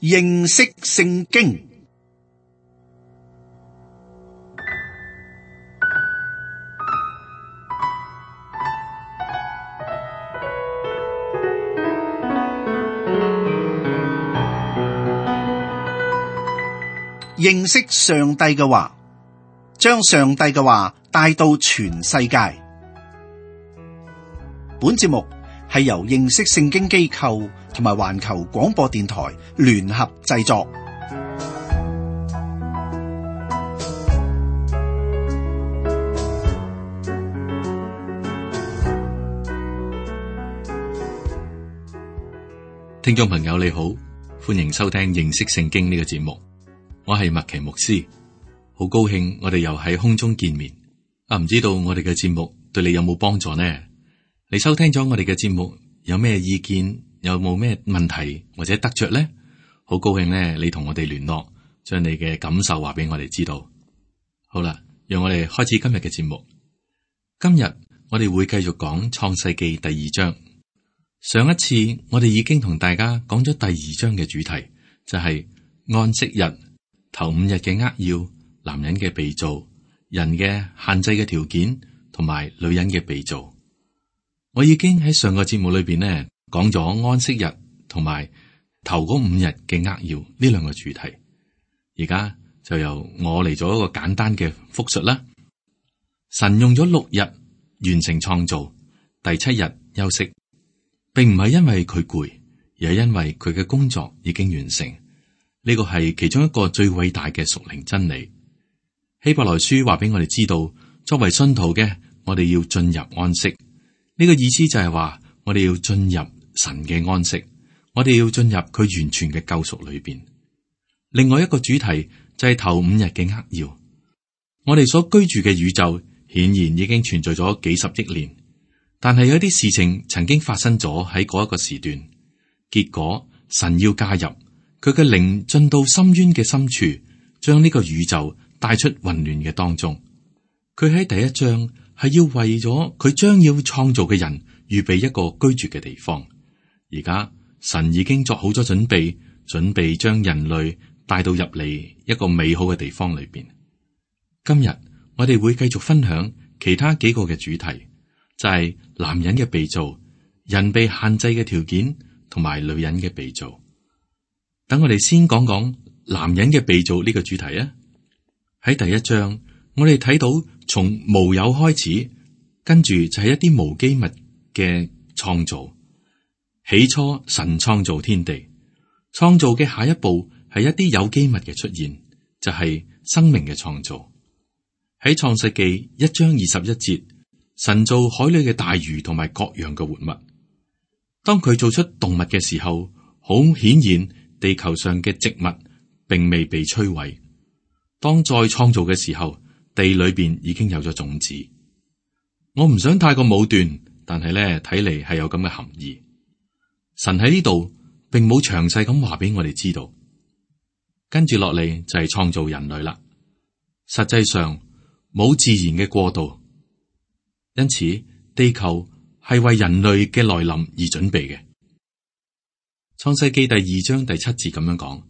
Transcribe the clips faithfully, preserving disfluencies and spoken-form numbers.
認識聖經。認識上帝嘅話，將上帝嘅話帶到全世界。本節目係由認識聖經機構同埋環球廣播電台聯合製作。聽眾朋友你好，歡迎收聽認識聖經呢個節目。我係麥奇牧師，好高興我哋又喺空中見面。啊，唔知道我哋嘅節目對你有冇幫助呢？你收聽咗我哋嘅節目，有咩意見？有冇咩問題或者得着呢？好高興呢，你同我哋聯絡，將你嘅感受話俾我哋知道。好啦，讓我哋開始今日嘅節目。今日我哋會繼續講創世記第二章。上一次我哋已經同大家講咗第二章嘅主題，就係安息日。頭五日嘅扼要，男人嘅被造，人嘅限制嘅條件，同埋女人嘅被造。我已經喺上個節目裏邊呢講咗安息日同埋頭嗰五日嘅扼要呢兩個主題。而家就由我嚟做一個簡單嘅複述啦。神用咗六日完成創造，第七日休息，並唔係因為佢攰，而係因為佢嘅工作已經完成。呢個係其中一個最偉大嘅屬靈真理。希伯來書話俾我哋知道，作為信徒嘅，我哋要進入安息。呢個意思就係話，我哋要進入神嘅安息，我哋要進入佢完全嘅救贖裏邊。另外一個主題就係頭五日嘅扼要。我哋所居住嘅宇宙顯然已經存在咗幾十億年，但係有啲事情曾經發生咗喺嗰一個時段，結果神要介入。佢嘅靈進到深淵嘅深處，將呢個宇宙帶出混亂嘅當中。佢喺第一章係要為咗佢將要創造嘅人預備一個居住嘅地方。而家神已經作好咗準備，準備將人類帶到入嚟一個美好嘅地方裏邊。今日我哋會繼續分享其他幾個嘅主題，就係男人嘅被造、人被限制嘅條件，同埋女人嘅被造。等我哋先講講男人嘅被造呢個主題啊！喺第一章，我哋睇到從無有開始，跟住就係一啲無機物嘅創造。起初神創造天地，創造嘅下一步係一啲有機物嘅出現，就係生命嘅創造。喺創世記一章二十一節，神造海裏嘅大魚同埋各樣嘅活物。當佢做出動物嘅時候，好顯然。地球上嘅植物並未被摧毀。當再創造嘅時候，地裏邊已經有咗種子。我唔想太過武斷，但係咧睇嚟係有咁嘅含義。神喺呢度並冇詳細咁話俾我哋知道。跟住落嚟就係創造人類啦。實際上冇自然嘅過渡，因此地球係為人類嘅來臨而準備嘅。創世記第二章第七節咁樣講：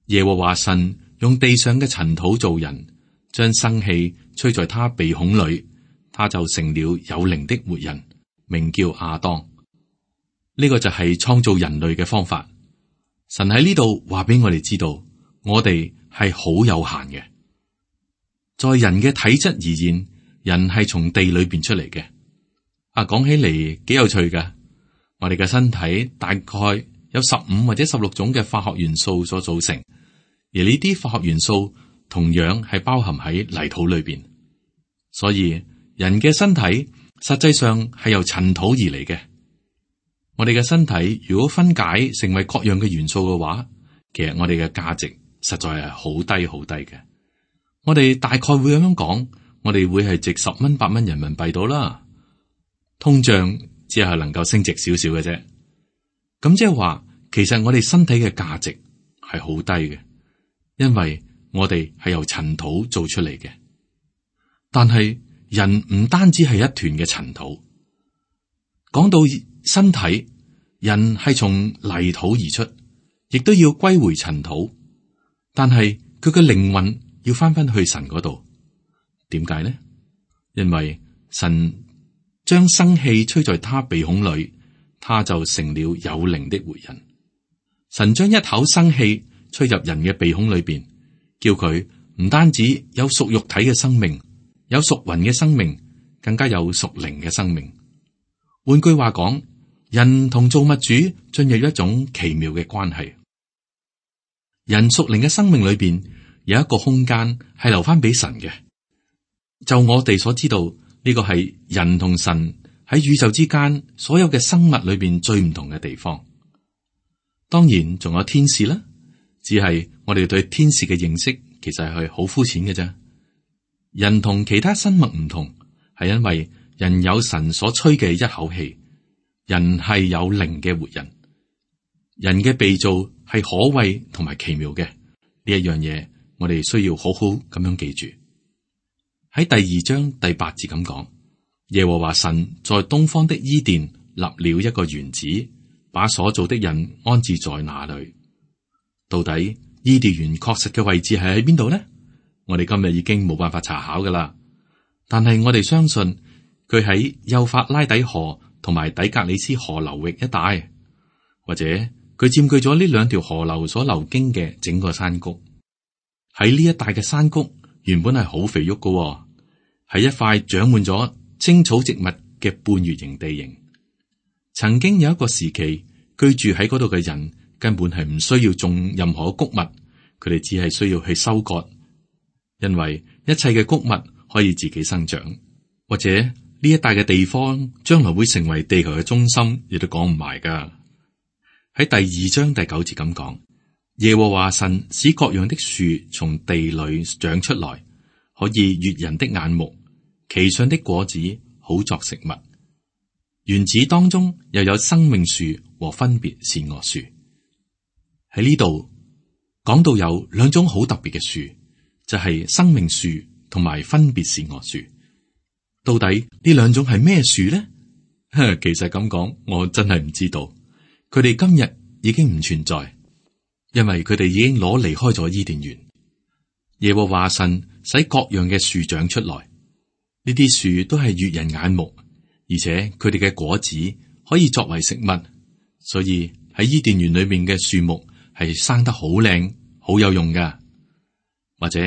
耶和華神用地上嘅塵土造人，將生氣吹在他鼻孔裏，他就成了有靈的活人，名叫亞當。呢、這個就係創造人類嘅方法。神喺呢度話俾我哋知道，我哋係好有限嘅。在人嘅體質而言，人係從地裏邊出嚟嘅。啊，講起嚟幾有趣㗎。我哋嘅身體大概有十五或者十六種嘅化學元素所組成，而呢啲化學元素同樣係包含喺泥土裏邊。所以人嘅身體實際上係由塵土而嚟嘅。我哋嘅身體如果分解成為各樣嘅元素嘅話，其實我哋嘅價值實在係好低好低嘅。我哋大概會咁樣講，我哋會係值十蚊八蚊人民幣到啦。通脹只係能夠升值少少嘅啫。咁即係話，其實我哋身體嘅價值係好低嘅，因為我哋係由塵土做出嚟嘅。但係人唔單止係一團嘅塵土，講到身體，人係從泥土而出，亦都要歸回塵土，但係佢嘅靈魂要翻返去神嗰度。點解呢？因為神將生氣吹在他鼻孔裏，他就成了有靈的活人。神將一口生氣吹入人嘅鼻孔裏邊，叫佢唔單止有屬肉體嘅生命，有屬魂嘅生命，更加有屬靈嘅生命。換句話講，人同造物主進入一種奇妙嘅關係。人屬靈嘅生命裏邊有一個空間係留翻俾神嘅。就我哋所知道，呢個係人同神喺宇宙之間所有嘅生物裏邊最唔同嘅地方。當然仲有天使啦，只係我哋對天使嘅認識其實係好膚淺嘅啫。人同其他生物唔同，係因為人有神所吹嘅一口氣，人係有靈嘅活人。人嘅被造係可畏同埋奇妙嘅，呢一樣嘢，我哋需要好好咁樣記住。喺第二章第八節咁講，耶和華神在東方的伊甸立了一個園子，把所造的人安置在那裏。到底伊甸園確實嘅位置係喺邊度呢？我哋今日已經冇辦法查考噶啦，但係我哋相信佢喺幼發拉底河同埋底格里斯河流域一帶，或者佢佔據咗呢兩條河流所流經嘅整個山谷。喺呢一帶嘅山谷原本係好肥沃噶，係一塊長滿咗青草植物嘅半月形地形。曾經有一個時期，居住喺嗰度嘅人根本係唔需要種任何穀物，佢哋只係需要去收割，因為一切嘅穀物可以自己生長。或者呢一帶嘅地方將來會成為地球嘅中心，亦都講唔埋噶。喺第二章第九節咁講，耶和華神使各樣的樹從地裏長出來，可以悅人的眼目，其上的果子好作食物。園子當中又有生命樹和分別善惡樹。喺呢度講到有兩種好特別嘅樹，就係、是、生命樹同埋分別善惡樹。到底呢兩種係咩樹呢？其實咁講，我真係唔知道。佢哋今日已經唔存在，因為佢哋已經攞離開咗伊甸園。耶和華神使各樣嘅樹長出來，呢啲樹都係悅人眼目，而且佢哋嘅果子可以作為食物，所以喺伊甸園裏面嘅樹木係生得好靚，好有用噶。或者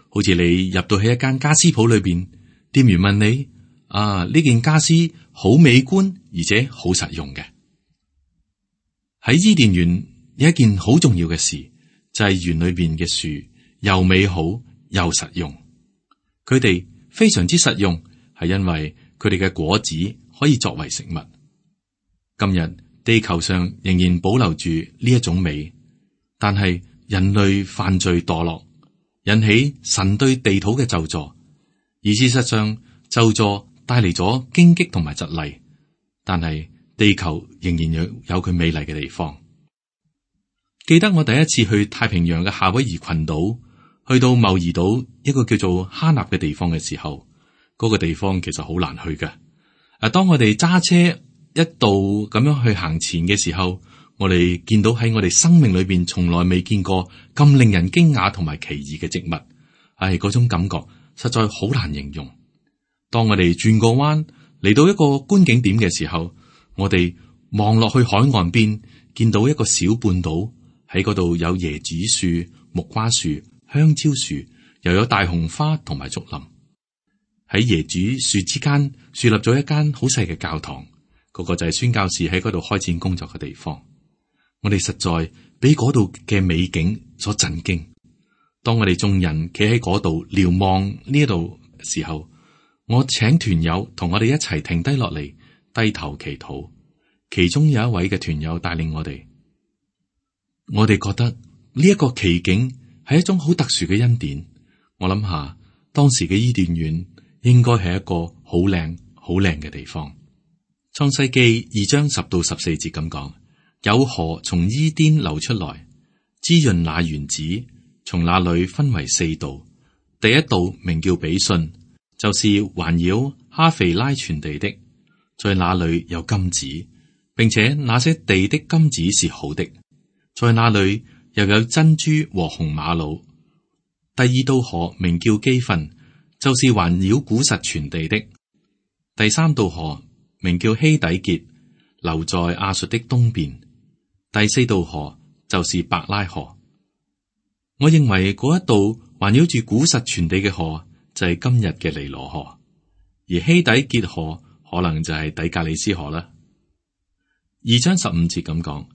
好似你入到去一間家私鋪裏邊，店員問你：啊，呢件家私好美觀，而且好實用嘅。喺伊甸園有一件好重要嘅事，就係園裏邊嘅樹又美好又實用。佢哋非常之實用，係因為佢哋嘅果子可以作為食物。今日地球上仍然保留住呢一種美，但係人類犯罪墮落，引起神對地土嘅咒詛，而事實上咒詛帶嚟咗荊棘同埋蒺藜，但係地球仍然有有佢美麗嘅地方。記得我第一次去太平洋嘅夏威夷群島，去到茂宜島一個叫做哈納嘅地方嘅時候，嗰個地方其實好難去嘅。啊，當我哋揸車一度咁樣去行前嘅時候，我哋見到喺我哋生命裏邊從來未見過咁令人驚訝同埋奇異嘅植物，係嗰種感覺實在好難形容。當我哋轉個彎嚟到一個觀景點嘅時候，我哋望落去海岸邊，見到一個小半島，喺嗰度有椰子樹、木瓜樹、香蕉樹，又有大紅花同埋竹林。喺椰子樹之間樹立咗一間好細嘅教堂，嗰個就係宣教士喺嗰度開展工作嘅地方。我哋實在俾嗰度嘅美景所震驚。當我哋眾人企喺嗰度瞭望呢一度嘅時候，我請團友同我哋一齊停低落嚟，低頭祈禱。其中有一位嘅團友帶領我哋，我哋覺得呢一個奇景係一種好特殊嘅恩典。我諗下當時嘅伊甸園應該係一個好靚、好靚嘅地方。創世記二章十到十四節咁講，有河從伊甸流出來，滋潤那園子，從那裏分為四道。第一道名叫比遜，就是環繞哈肥拉全地的，在那裏有金子，並且那些地的金子是好的。在那裏又有珍珠和紅瑪瑙。第二道河名叫基訓，就是環繞古實全地的。第三道河名叫希底結，流在亞述的東邊。第四道河就是伯拉河。我認為嗰一道環繞住古實全地嘅河就係今日嘅尼羅河，而希底結河可能就係底格里斯河啦。二章十五節咁講，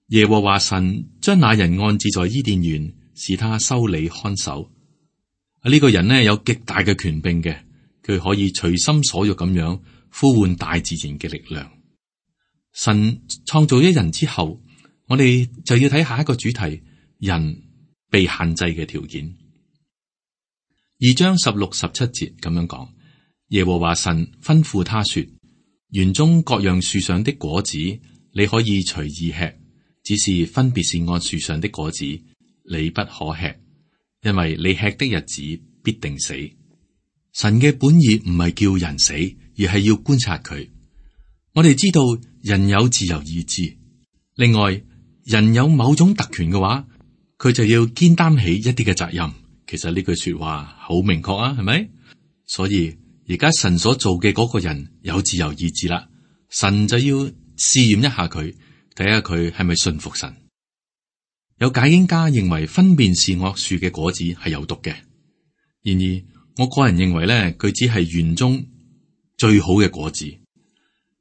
耶和華神將那人安置在伊甸園，使他修理看守。呢、這個人呢，有極大嘅權柄嘅，佢可以隨心所欲咁樣呼喚大自然嘅力量。神創造一人之後，我哋就要睇下一個主題：人被限制嘅條件。二章十六、十七節咁樣講，耶和華神吩咐他說：園中各樣樹上的果子，你可以隨意吃，只是分別是按樹上的果子，你不可吃。因為你吃的日子必定死。神嘅本意唔係叫人死，而係要觀察佢。我哋知道人有自由意志，另外人有某種特權嘅話，佢就要肩擔起一啲嘅責任。其實呢句說話好明確啊，係咪？所以而家神所做嘅嗰個人有自由意志啦，神就要試驗一下佢，睇下佢係咪信服神。有解經家認為分辨善惡樹嘅果子係有毒嘅，然而我個人認為咧，佢只係園中最好嘅果子，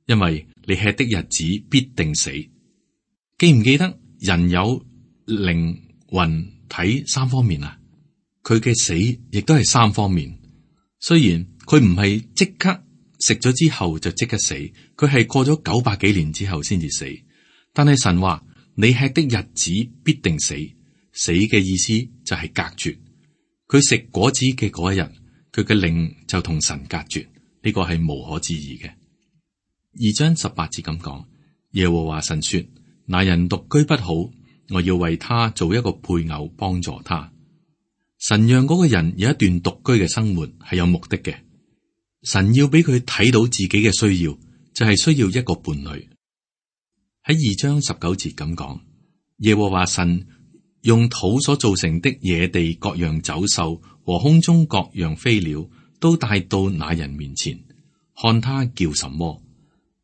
因為你吃的日子必定死。記唔記得人有靈魂體三方面啊？佢嘅死亦都係三方面。雖然佢唔係即刻食咗之後就即刻死，佢係過咗九百幾年之後先至死，但係神話。你吃的日子必定死，死嘅意思就係隔絕。佢食果子嘅嗰一日，佢嘅靈就同神隔絕，呢個係無可置疑嘅。二章十八節咁講，耶和華神說：那人獨居不好，我要為他做一個配偶幫助他。神讓嗰個人有一段獨居嘅生活係有目的嘅，神要俾佢睇到自己嘅需要，就係需要一個伴侶。喺二章十九節咁講，耶和華神用土所造成的野地各樣走獸和空中各樣飛鳥都帶到那人面前，看他叫什麼，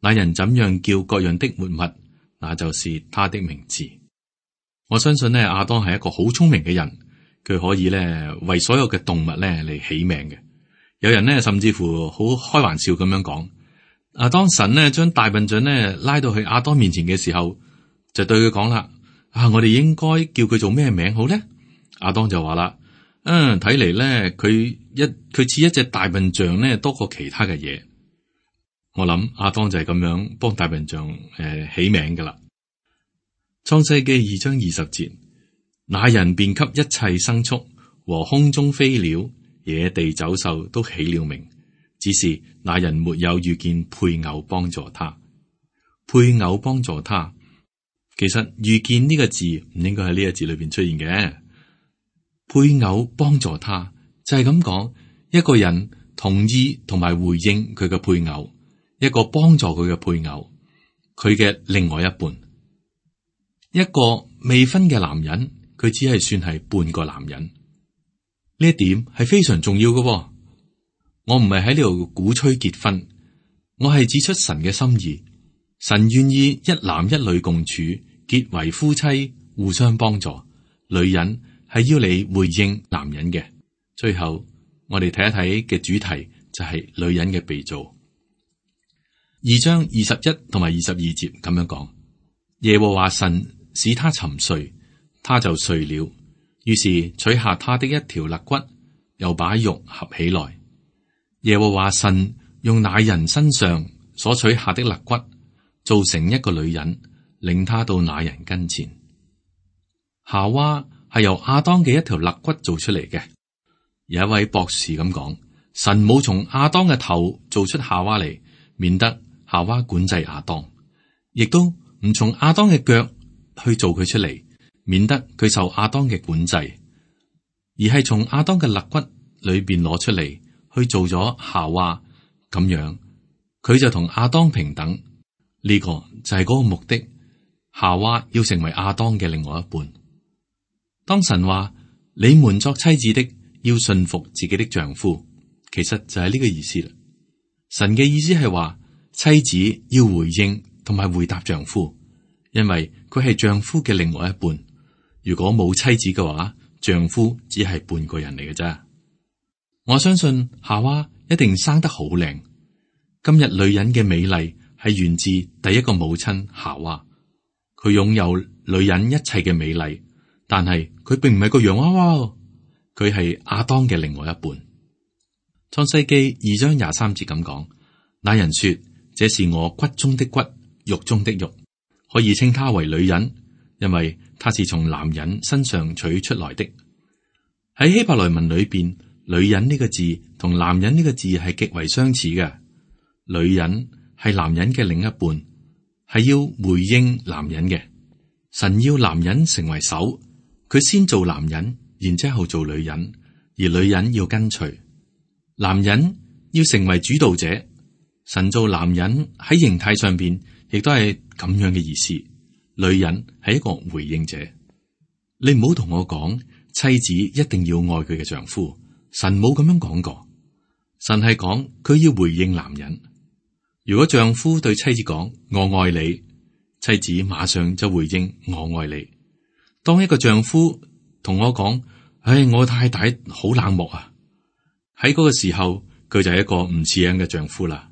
那人怎樣叫各樣的活物，那就是他的名字。我相信呢，亞當係一個好聰明嘅人，佢可以呢為所有嘅動物呢嚟起名嘅。有人呢甚至乎好開玩笑咁樣講。啊！當神呢將大笨象呢拉到去亞當面前嘅時候，就對佢講啦：啊，我哋應該叫佢做咩名好咧？亞當就話啦：嗯，睇嚟咧，佢一佢似一隻大笨象呢多過其他嘅嘢。我諗亞當就係咁樣幫大笨象誒、呃、起名噶啦。創世記二章二十節，那人便給一切牲畜和空中飛鳥、野地走獸都起了名。只是那人沒有遇見配偶幫助他，配偶幫助他。其實遇見呢個字唔應該喺呢個字裏邊出現嘅。配偶幫助他就係咁講，一個人同意同埋回應佢嘅配偶，一個幫助佢嘅配偶，佢嘅另外一半。一個未婚嘅男人，佢只係算係半個男人。呢一點係非常重要嘅喎。我唔係喺呢度鼓吹結婚，我係指出神嘅心意。神願意一男一女共處，結為夫妻，互相幫助。女人係要你回應男人嘅。最後，我哋睇一睇嘅主題就係女人嘅被造。二章二十一同埋二十二節咁樣講：耶和華神使他沉睡，他就睡了。於是取下他的一條肋骨，又把肉合起來。耶和華神用那人身上所取下的肋骨，造成一個女人，領他到那人跟前。夏娃係由亞當嘅一條肋骨做出嚟嘅。有一位博士咁講：神冇從亞當嘅頭做出夏娃嚟，免得夏娃管制亞當；亦都唔從亞當嘅腳去做佢出嚟，免得佢受亞當嘅管制，而係從亞當嘅肋骨裏邊攞出嚟。去做咗夏娃，咁樣佢就同亞當平等。呢、這個就係嗰個目的。夏娃要成為亞當嘅另外一半。當神話你們作妻子的要順服自己的丈夫，其實就係呢個意思啦。神嘅意思係話妻子要回應同埋回答丈夫，因為佢係丈夫嘅另外一半。如果冇妻子嘅話，丈夫只係半個人嚟嘅啫。我相信夏娃一定生得好靚。今日女人嘅美麗係源自第一個母親夏娃，佢擁有女人一切嘅美麗，但係佢並唔係個洋娃娃，佢係亞當嘅另外一半。創世記二章廿三節咁講，那人說：這是我骨中的骨，肉中的肉，可以稱她為女人，因為她是從男人身上取出來的。喺希伯來文裏邊，女人呢個字同男人呢個字係極為相似嘅。女人係男人嘅另一半，係要回應男人嘅。神要男人成為首，佢先做男人，然之後做女人，而女人要跟隨。男人要成為主導者，神做男人喺形態上邊亦都係咁樣嘅意思。女人係一個回應者。你唔好同我講妻子一定要愛佢嘅丈夫，神冇咁樣講過。神係講佢要回應男人。如果丈夫對妻子講我愛你，妻子馬上就回應我愛你。當一個丈夫同我講，唉，我太太好冷漠啊，喺嗰個時候佢就係一個唔似樣嘅丈夫啦。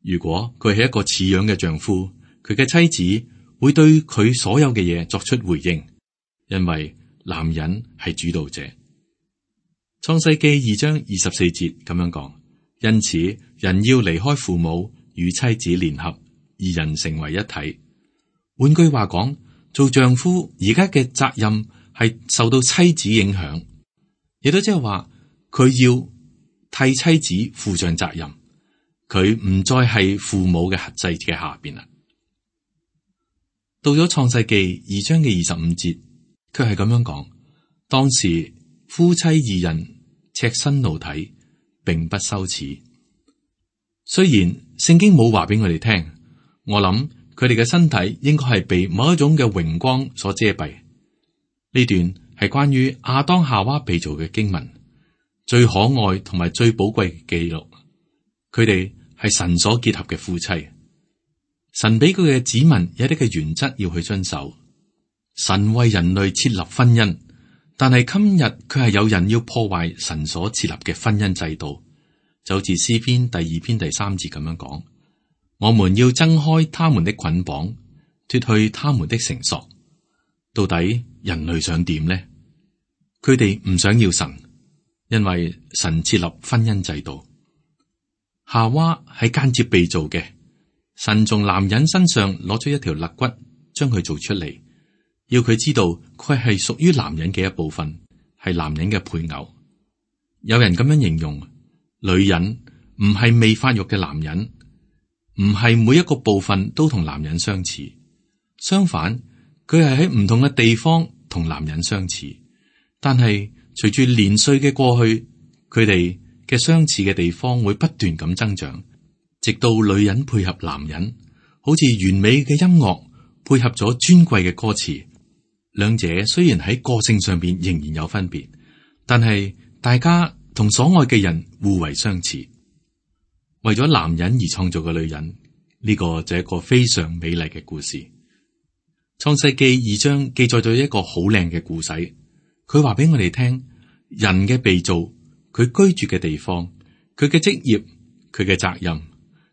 如果佢係一個似樣嘅丈夫，佢嘅妻子會對佢所有嘅嘢作出回應，因為男人係主導者。創世記二章二十四節咁樣講，因此人要離開父母，與妻子聯合，二人成為一體。換句話講，做丈夫而家嘅責任係受到妻子影響，亦都即係話佢要替妻子負上責任，佢唔再係父母嘅轄制嘅下邊啦。到咗創世記二章嘅二十五節，佢係咁樣講：當時夫妻二人赤身露體，並不羞恥。雖然聖經冇話俾我哋聽，我諗佢哋嘅身體應該係被某一種嘅榮光所遮蔽。呢段係關於亞當夏娃被造嘅經文，最可愛同埋最寶貴嘅記錄。佢哋係神所結合嘅夫妻，神俾佢嘅子民有啲嘅原則要去遵守。神為人類設立婚姻，但係今日佢係有人要破壞神所設立嘅婚姻制度。就好似詩篇第二篇第三節咁樣講，我們要掙開他們的捆綁，脫去他們的繩索。到底人類想點呢？佢哋唔想要神，因為神設立婚姻制度。夏娃係間接被造嘅，神從男人身上攞出一條肋骨，將佢做出嚟，要佢知道佢係屬於男人嘅一部分，係男人嘅配偶。有人咁樣形容，女人唔係未發育嘅男人，唔係每一個部分都同男人相似，相反，佢係喺唔同嘅地方同男人相似。但係隨住年歲嘅過去，佢哋嘅相似嘅地方會不斷咁增長，直到女人配合男人，好似完美嘅音樂配合咗尊貴嘅歌詞。兩者雖然喺個性上邊仍然有分別，但係大家同所愛嘅人互為相似。為咗男人而創造嘅女人，呢個就係一個非常美麗嘅故事。創世記二章記載咗一個好靚嘅故事，佢話俾我哋聽，人嘅被造，佢居住嘅地方，佢嘅職業，佢嘅責任，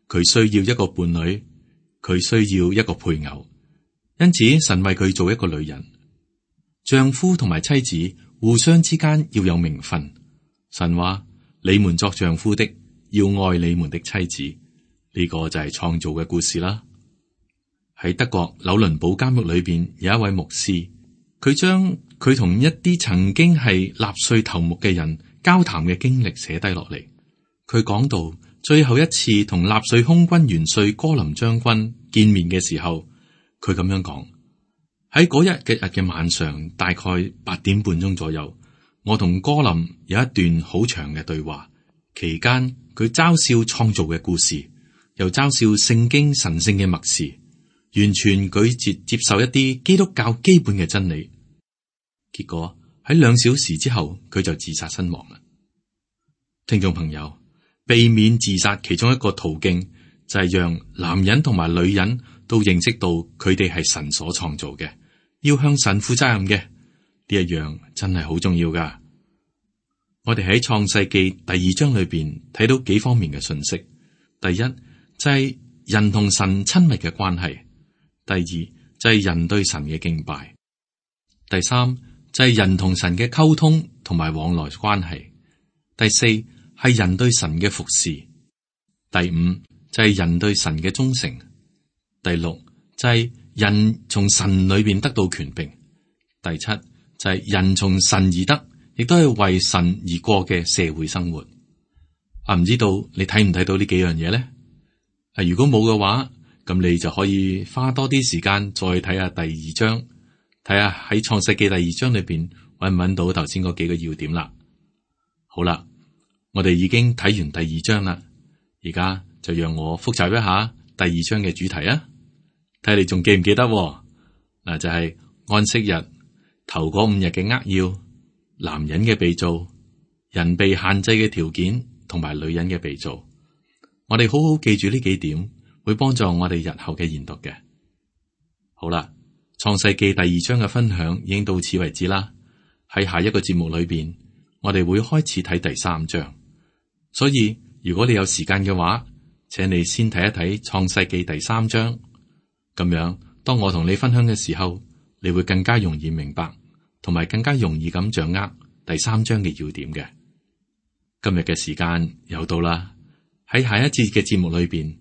佢需要一個伴侶，佢需要一個配偶。因此神為佢做一個女人。丈夫同埋妻子互相之間要有名分。神話你們作丈夫的要愛你們的妻子，呢個就係創造嘅故事啦。喺德國紐倫堡監獄裏邊有一位牧師，佢將佢同一啲曾經係納粹頭目嘅人交談嘅經歷寫低落嚟。佢講到最後一次同納粹空軍元帥戈林將軍見面嘅時候，佢咁樣講：喺嗰日嘅日嘅晚上，大概八點半鐘左右，我同戈林有一段好長嘅對話，期間佢嘲笑創造嘅故事，又嘲笑聖經神聖嘅默示。完全拒絕接受一啲基督教基本嘅真理。結果喺兩小時之後，佢就自殺身亡啦。聽眾朋友，避免自殺其中一個途徑就係讓男人同埋女人都認識到佢哋係神所創造嘅，要向神負責任嘅，呢一樣真係好重要噶。我哋喺創世記第二章裏邊睇到幾方面嘅信息。第一就係人同神親密嘅關係，第二就係人對神嘅敬拜，第三就係人同神嘅溝通同埋往來關係，第四係人對神嘅服侍，第五就係人對神嘅忠誠，第六就係人從神裏邊得到權柄，第七就係人從神而得，亦都係為神而過嘅社會生活。啊，唔知道你睇唔睇到呢幾樣嘢咧？啊，如果冇嘅話，咁你就可以花多啲時間再睇下第二章，睇下喺創世記第二章裏邊搵唔搵到頭先嗰幾個要點啦。好啦，我哋已經睇完第二章啦，而家就讓我複習一下第二章嘅主題啊！睇你仲記唔記得？嗱，就係安息日頭嗰五日嘅扼要，男人嘅被造，人被限制嘅條件，同埋女人嘅被造。我哋好好記住呢幾點，會幫助我哋日後嘅研讀嘅。好啦，創世記第二章嘅分享已經到此為止啦。喺下一個節目裏邊，我哋會開始睇第三章。所以如果你有時間嘅話，請你先睇一睇創世記第三章。咁樣，當我同你分享嘅時候，你會更加容易明白，同埋更加容易咁掌握第三章嘅要點嘅。今日嘅時間又到啦，喺下一節嘅節目裏邊，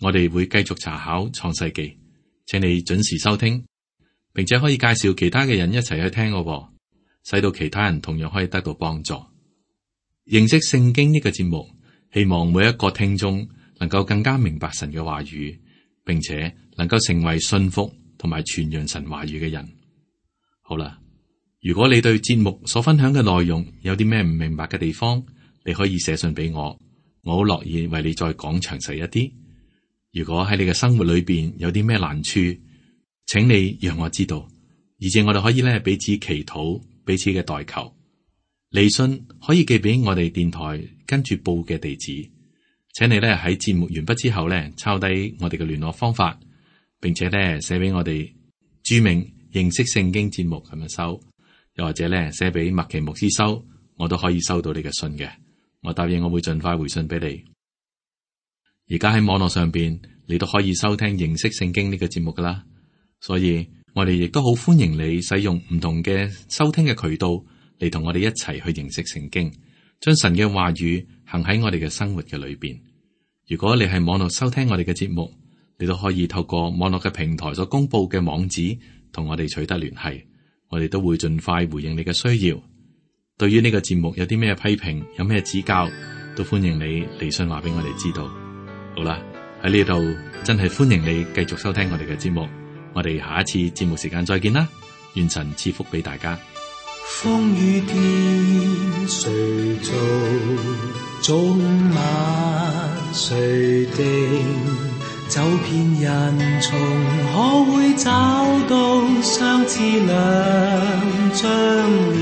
我哋會繼續查考創世記，請你準時收聽，並且可以介紹其他嘅人一齊去聽我，使到其他人同樣可以得到幫助。認識聖經呢個節目，希望每一個聽眾能夠更加明白神嘅話語，並且能夠成為信服同埋傳揚神話語嘅人。好啦，如果你對節目所分享嘅內容有啲咩唔明白嘅地方，你可以寫信俾我，我好樂意為你再講詳細一啲。如果喺你嘅生活裏邊有啲咩難處，請你讓我知道，而且我哋可以咧彼此祈禱，彼此嘅代求。嚟信可以寄俾我哋電台跟住報嘅地址，請你咧喺節目完畢之後咧抄低我哋嘅聯絡方法，並且咧寫俾我哋注明認識聖經節目咁樣收，又或者咧寫俾麥奇牧師收，我都可以收到你嘅信嘅。我答應我會盡快回信俾你。而家喺網絡上邊，你都可以收聽認識聖經呢個節目噶啦，所以我哋亦都好歡迎你使用唔同嘅收聽嘅渠道嚟同我哋一齊去認識聖經，將神嘅話語行喺我哋嘅生活嘅裏邊。如果你係網絡收聽我哋嘅節目，你都可以透過網絡嘅平台所公布嘅網址同我哋取得聯繫，我哋都會盡快回應你嘅需要。對於呢個節目有啲咩批評，有咩指教，都歡迎你嚟信話俾我哋知道。好啦，喺呢度真係歡迎你繼續收聽我哋嘅節目。我哋下一次節目時間再見啦，願神賜福俾大家。風雨天誰造，早晚誰定，走遍人叢可會找到相似兩張臉，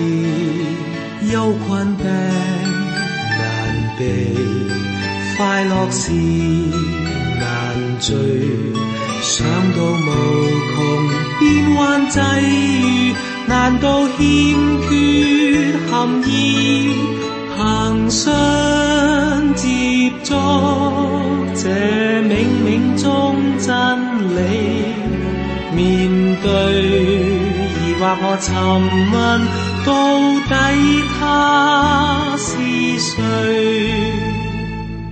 憂困病難避，快樂時難聚，想到無窮變幻際遇，難道欠缺含義？憑信接觸這冥冥中真理，面對疑惑我尋問，到底他是誰？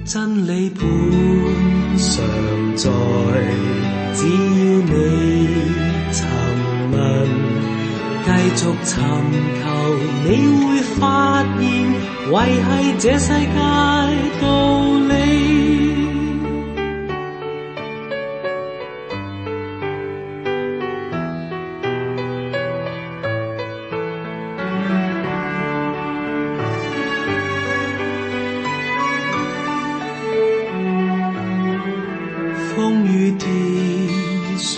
真理本常在，只要你尋問，繼續尋求，你會發現，維繫這世界道理。風雨天誰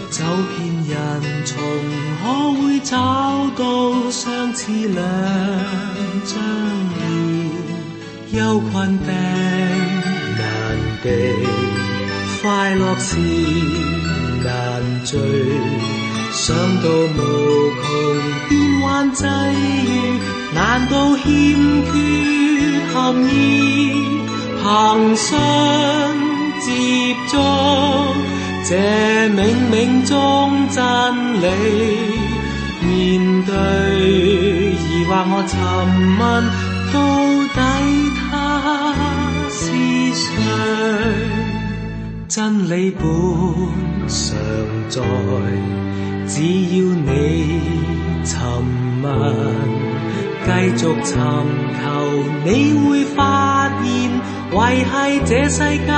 走遍人叢，可會找到相似兩張臉？憂困病難避，快樂時難聚，想到無窮變幻際遇，難道欠缺含義？憑信接觸這冥冥中真理，面對疑惑我尋問，到底他是誰？真理本常在，只要你尋問，繼續尋求，你會發現維繫這世界。